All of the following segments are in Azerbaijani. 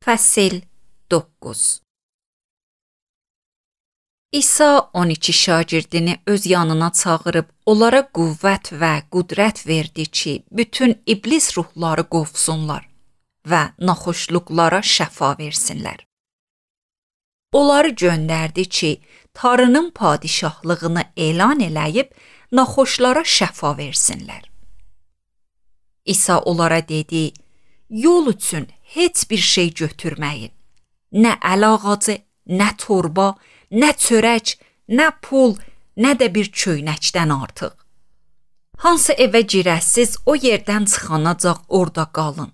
Fəsil 9. İsa 12 şagirdini öz yanına çağırıb, onlara qüvvət və qüdrət verdi ki, bütün iblis ruhları qovsunlar və naxoşluqlara şəfa versinlər. Onları göndərdi ki, Tanrının padişahlığını elan eləyib, naxoşlara şəfa versinlər. İsa onlara dedi, yol üçün heç bir şey götürməyin. Nə əl ağacı, nə torba, nə çörək, nə pul, nə də bir köynəkdən artıq. Hansı evə girəsiz, o yerdən çıxanacaq orada qalın.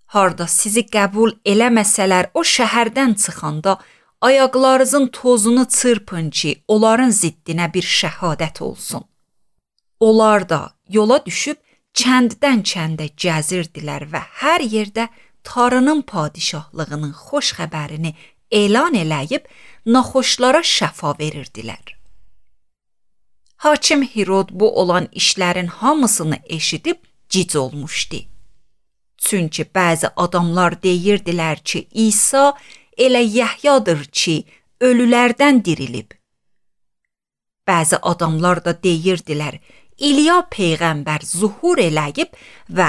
Harda sizi qəbul eləməsələr, o şəhərdən çıxanda ayaqlarınızın tozunu çırpın ki, onların ziddinə bir şəhadət olsun. Onlar da yola düşüb kənddən kəndə gəzirdilər və hər yerdə Tanrının padişahlığının xoş xəbərini elan eləyib, naxoşlara şəfa verirdilər. Hakim Hirod bu olan işlərin hamısını eşidib cic olmuşdu. Çünki bəzi adamlar deyirdilər ki, İsa elə Yəhyadır ki, ölülərdən dirilib. Bəzi adamlar da deyirdilər, İliya peyğəmbər zuhur eləyib və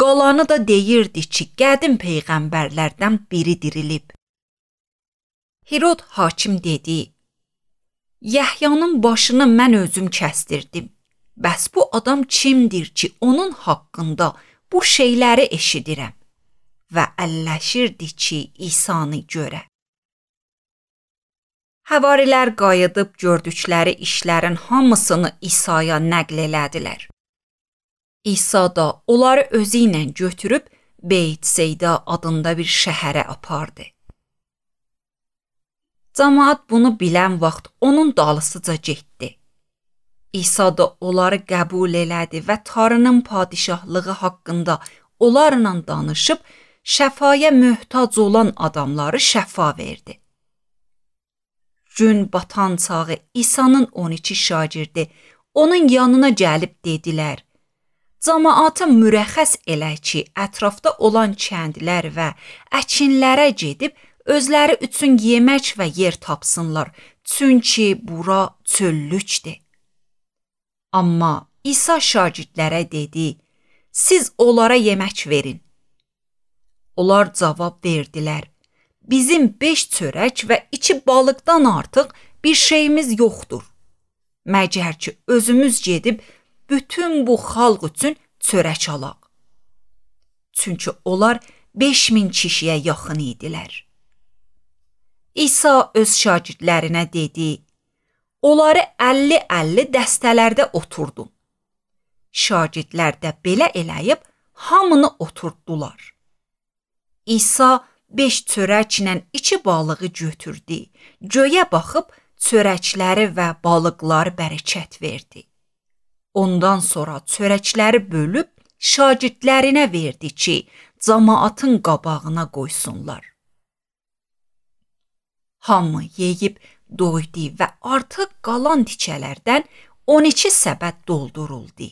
qalanı da deyirdi ki, qədim peyğəmbərlərdən biri dirilib. Hirod hakim dedi, Yəhyanın başını mən özüm kəstirdim. Bəs bu adam kimdir ki, onun haqqında bu şeyləri eşidirəm? Və əlləşirdi ki, İsanı görə. Həvarilər qayıdıb gördükləri işlərin hamısını İsa'ya nəql elədilər. İsa da onları özü ilə götürüb Beytseyda adında bir şəhərə apardı. Cəmaət bunu bilən vaxt onun dalısıca getdi. İsa da onları qəbul elədi və Tanrının padişahlığı haqqında onlarla danışıb şəfaya möhtac olan adamları şəfa verdi. Gün batan çağı İsa'nın 12 şagirdi onun yanına gəlib dedilər, cəmaata mürəxxəs elə ki, ətrafda olan kəndlər və əkinlərə gedib, özləri üçün yemək və yer tapsınlar, çünki bura çöllükdür. Amma İsa şagirdlərə dedi, siz onlara yemək verin. Onlar cavab verdilər, bizim 5 çörək və 2 balıqdan artıq bir şeyimiz yoxdur. Məgər ki, özümüz gedib bütün bu xalq üçün çörək alaq. Çünki onlar 5000 kişiyə yaxın idilər. İsa öz şagirdlərinə dedi, onları 50-50 dəstələrdə oturdun. Şagirdlər də belə eləyib hamını oturtdular. İsa 5 çörəklə 2 balığı götürdü, göyə baxıb çörəkləri və balıqları bərəkət verdi. Ondan sonra çörəkləri bölüb şagirdlərinə verdi ki, cəmaatın qabağına qoysunlar. Hamı yeyib doydu və artıq qalan tikələrdən 12 səbət dolduruldu.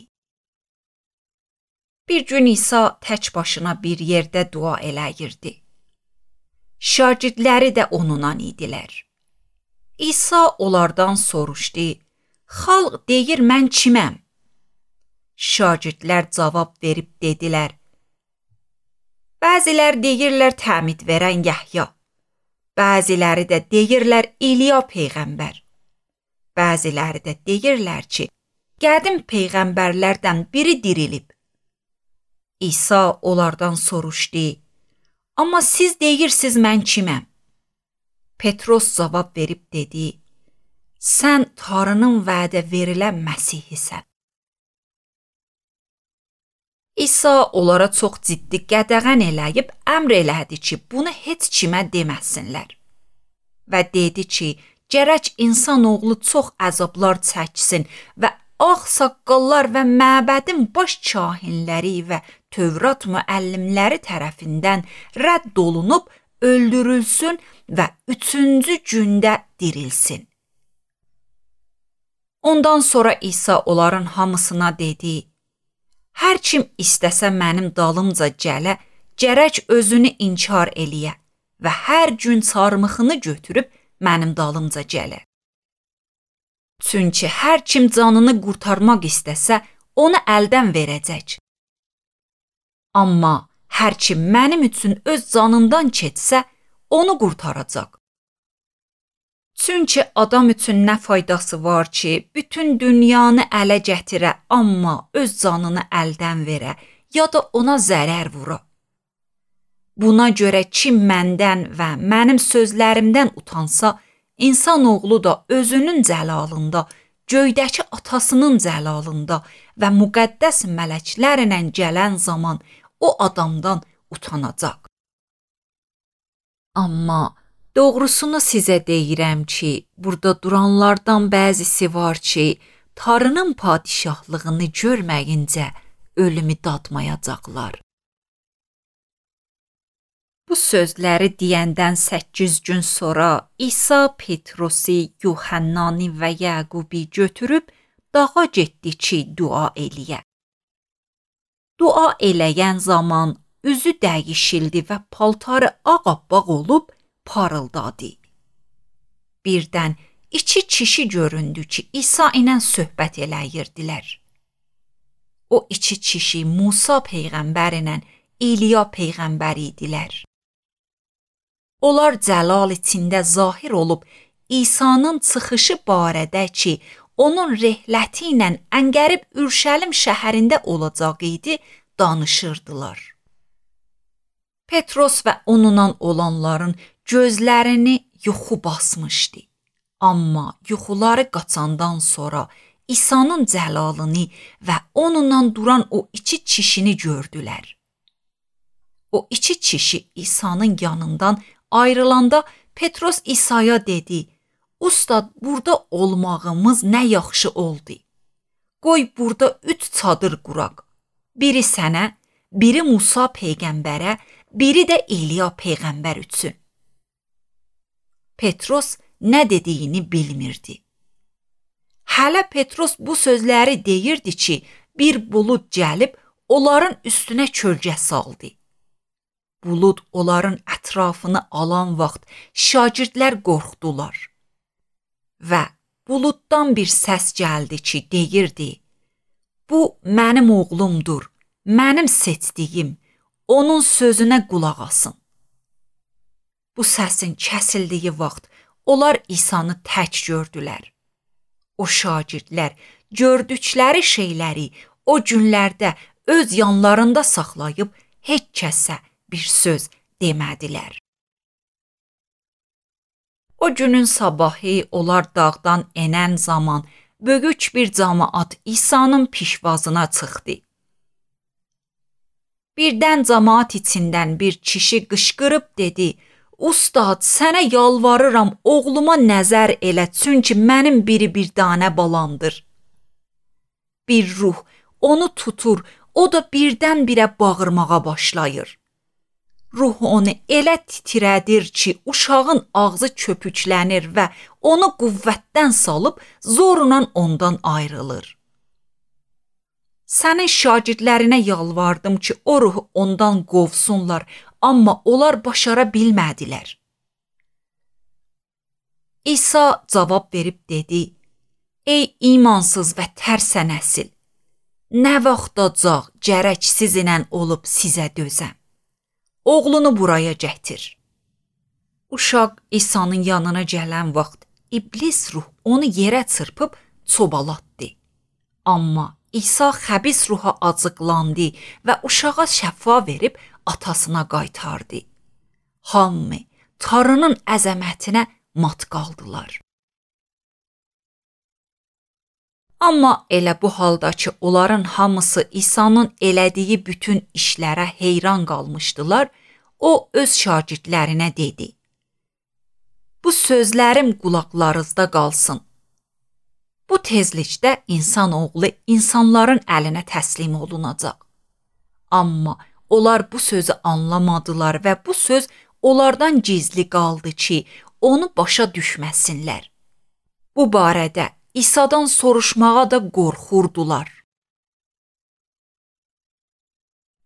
Bir gün İsa tək başına bir yerdə dua eləyirdi. Şagirdləri də onunla idilər. İsa onlardan soruşdu, xalq deyir mən kiməm? Şagirdlər cavab verib dedilər, bəzilər deyirlər təmid verən Yəhya, bəziləri də deyirlər İliya peyğəmbər, bəziləri də deyirlər ki, qədim peyğəmbərlərdən biri dirilib. İsa onlardan soruşdu, amma siz deyirsiniz mən kiməm? Petros cavab verib dedi, sən Tanrının vədə verilən Məsihisən. İsa onlara çox ciddi qədəğən eləyib əmr elədi ki, bunu heç kimə deməsinlər. Və dedi ki, gərək insanoğlu çox əzablar çəksin və ağsaqqallar və məbədin baş kahinləri və Tövrat müəllimləri tərəfindən rədd olunub, öldürülsün və 3-cü gündə dirilsin. Ondan sonra İsa onların hamısına dedi, hər kim istəsə mənim dalımca gələ, gərək özünü inkar eləyə və hər gün çarmıxını götürüb mənim dalımca gələ. Çünki hər kim canını qurtarmaq istəsə, onu əldən verəcək. Amma hər kim mənim üçün öz canından keçsə, onu qurtaracaq. Çünki adam üçün nə faydası var ki, bütün dünyanı ələ gətirə, amma öz canını əldən verə, ya da ona zərər vura. Buna görə kim məndən və mənim sözlərimdən utansa, insanoğlu da özünün cəlalında, göydəki atasının cəlalında və müqəddəs mələklərlə gələn zaman o adamdan utanacaq. Amma doğrusunu sizə deyirəm ki, burada duranlardan bəzisi var ki, Tanrının padişahlığını görməyincə ölümü dadmayacaqlar. Bu sözləri deyəndən 8 gün sonra İsa Petrosi, Yuhannani və Yaqubi götürüb dağa getdi ki, dua eləyə. Dua eləyən zaman üzü dəyişildi və paltarı ağappaq olub parıldadı. Birdən iki kişi göründü ki, İsa ilə söhbət eləyirdilər. O iki kişi Musa peyğəmbər ilə İliya peyğəmbər idilər. Onlar cəlal içində zahir olub İsa'nın çıxışı barədə ki, onun rəhləti ilə əngərib Ürşəlim şəhərində olacaq idi, danışırdılar. Petros və onunla olanların gözlərini yuxu basmışdı. Amma yuxuları qaçandan sonra İsa'nın cəlalını və onunla duran o iki kişini gördülər. O iki kişi İsa'nın yanından ayrılanda Petros İsa'ya dedi: "Ustad, burada olmağımız nə yaxşı oldu. Qoy burada 3 çadır quraq. Biri sənə, biri Musa peyğəmbərə, biri də İliya peyğəmbər üçün." Petros nə dediyini bilmirdi. Hələ Petros bu sözləri deyirdi ki, bir bulud gəlib onların üstünə kölgə saldı. Bulud onların ətrafını alan vaxt şagirdlər qorxdular. Və buluddan bir səs gəldi ki, deyirdi: "Bu mənim oğlumdur, mənim seçdiyim, onun sözünə qulaq asın." Bu səsin kəsildiyi vaxt onlar İsa'nı tək gördülər. O şagirdlər gördükləri şeyləri o günlərdə öz yanlarında saxlayıb heç kəsə bir söz demədilər. O günün sabahı onlar dağdan enən zaman böyük bir camaat İsa'nın pişvazına çıxdı. Birdən camaat içindən bir kişi qışqırıb dedi: "Ustad, sənə yalvarıram, oğluma nəzər elə, çünki mənim bir dənə balamdır." Bir ruh onu tutur, o da birdən-birə bağırmağa başlayır. Ruh onu elə titrədir ki, uşağın ağzı köpüklənir və onu qüvvətdən salıb zorla ondan ayrılır. Sənin şagirdlərinə yalvardım ki, o ruhu ondan qovsunlar, amma onlar başara bilmədilər. İsa cavab verib dedi: "Ey imansız və tərsə nəsil, nə vaxtacaq gərək sizinlə olub sizə dözəm? Oğlunu buraya gətir." Uşaq İsa'nın yanına gələn vaxt iblis ruh onu yerə çırpıb çobalatdı. Amma İsa xəbis ruha acıqlandı və uşağa şəfa verib atasına qaytardı. Hamı Tanrının əzəmətinə mat qaldılar. Amma elə bu halda ki, onların hamısı İsa'nın elədiyi bütün işlərə heyran qalmışdılar, o öz şagirdlərinə dedi: "Bu sözlərim qulaqlarınızda qalsın. Bu tezlikdə insanoğlu insanların əlinə təslim olunacaq." Amma onlar bu sözü anlamadılar və bu söz onlardan gizli qaldı ki, onu başa düşməsinlər. Bu barədə İsa'dan soruşmağa da qorxurdular.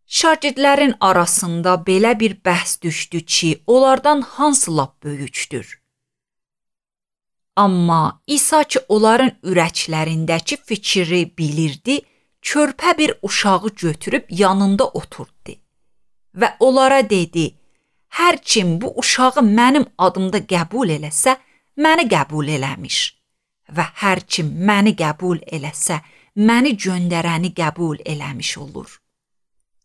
Şagirdlərin arasında belə bir bəhs düşdü ki, onlardan hansı lap böyükdür? Amma İsa ki, onların ürəklərindəki fikri bilirdi, körpə bir uşağı götürüb yanında oturtdu və onlara dedi: "Hər kim bu uşağı mənim adımda qəbul eləsə, məni qəbul eləmiş və hər kim məni qəbul eləsə, məni göndərəni qəbul eləmiş olur.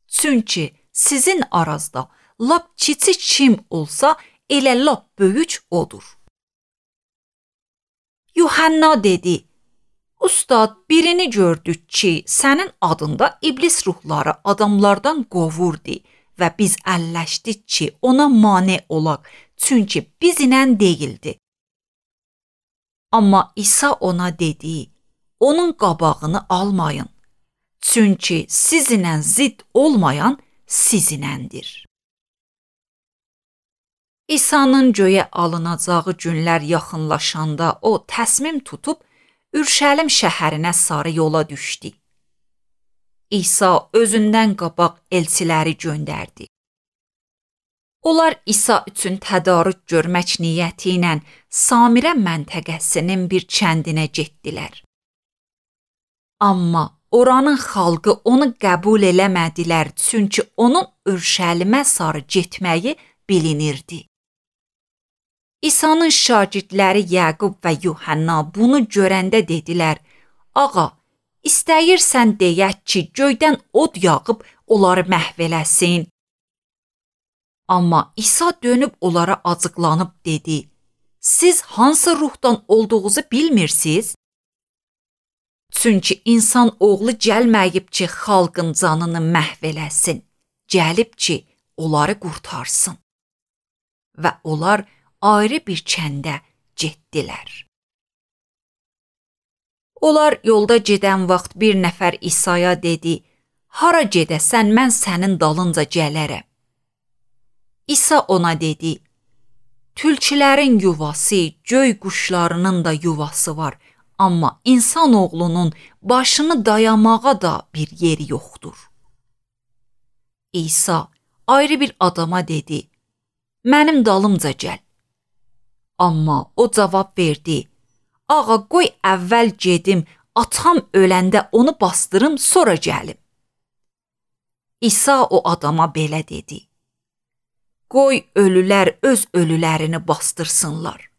Çünki sizin aranızda lap kiçik kim olsa, elə lap böyük odur." Yuhanna dedi: "Ustad, birini gördük ki, sənin adında iblis ruhları adamlardan qovurdu və biz əlləşdik ki, ona mane olaq, çünki bizlə deyildi." Amma İsa ona dedi: "Onun qabağını almayın, çünki sizinlə zidd olmayan sizinləndir." İsa'nın göyə alınacağı günlər yaxınlaşanda o təsmim tutub Ürşəlim şəhərinə sarı yola düşdü. İsa özündən qabaq elçiləri göndərdi. Onlar İsa üçün tədarük görmək niyyəti ilə Samirə məntəqəsinin bir kəndinə getdilər. Amma oranın xalqı onu qəbul eləmədilər, çünki onun Ürşəlimə sarı getməyi bilinirdi. İsa'nın şagirdləri Yaqub və Yuhanna bunu görəndə dedilər: "Ağa, istəyirsən deyək ki, göydən od yağıb onları məhv eləsin?" Amma İsa dönüb onlara acıqlanıb dedi: "Siz hansı ruhdan olduğunuzu bilmirsiniz? Çünki insan oğlu gəlməyib ki, xalqın canını məhv eləsin, gəlib ki, onları qurtarsın." Və onlar ayrı bir kəndə getdilər. Onlar yolda gedən vaxt bir nəfər İsa'ya dedi: "Hara gedəsən, mən sənin dalınca gələrəm." İsa ona dedi: "Tülkülərin yuvası, göy quşlarının da yuvası var, amma insan oğlunun başını dayamağa da bir yeri yoxdur." İsa ayrı bir adama dedi: "Mənim dalımca gəl." Amma o cavab verdi: "Ağa, qoy əvvəl gedim, atam öləndə onu bastırım, sonra gəlim." İsa o adama belə dedi: "Qoy ölülər öz ölülərini bastırsınlar.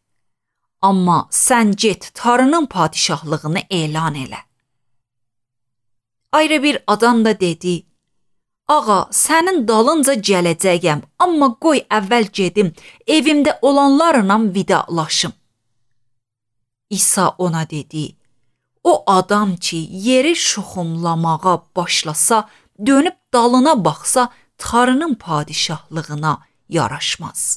Amma sən get, Tanrının padişahlığını elan elə." Ayrı bir adam da dedi: "Ağa, sənin dalınca gələcəyəm, amma qoy əvvəl gedim, evimdə olanlarla vidalaşım." İsa ona dedi: "O adam ki, yeri şuxumlamağa başlasa, dönüb dalına baxsa, Tanrının padişahlığına yaraşmaz."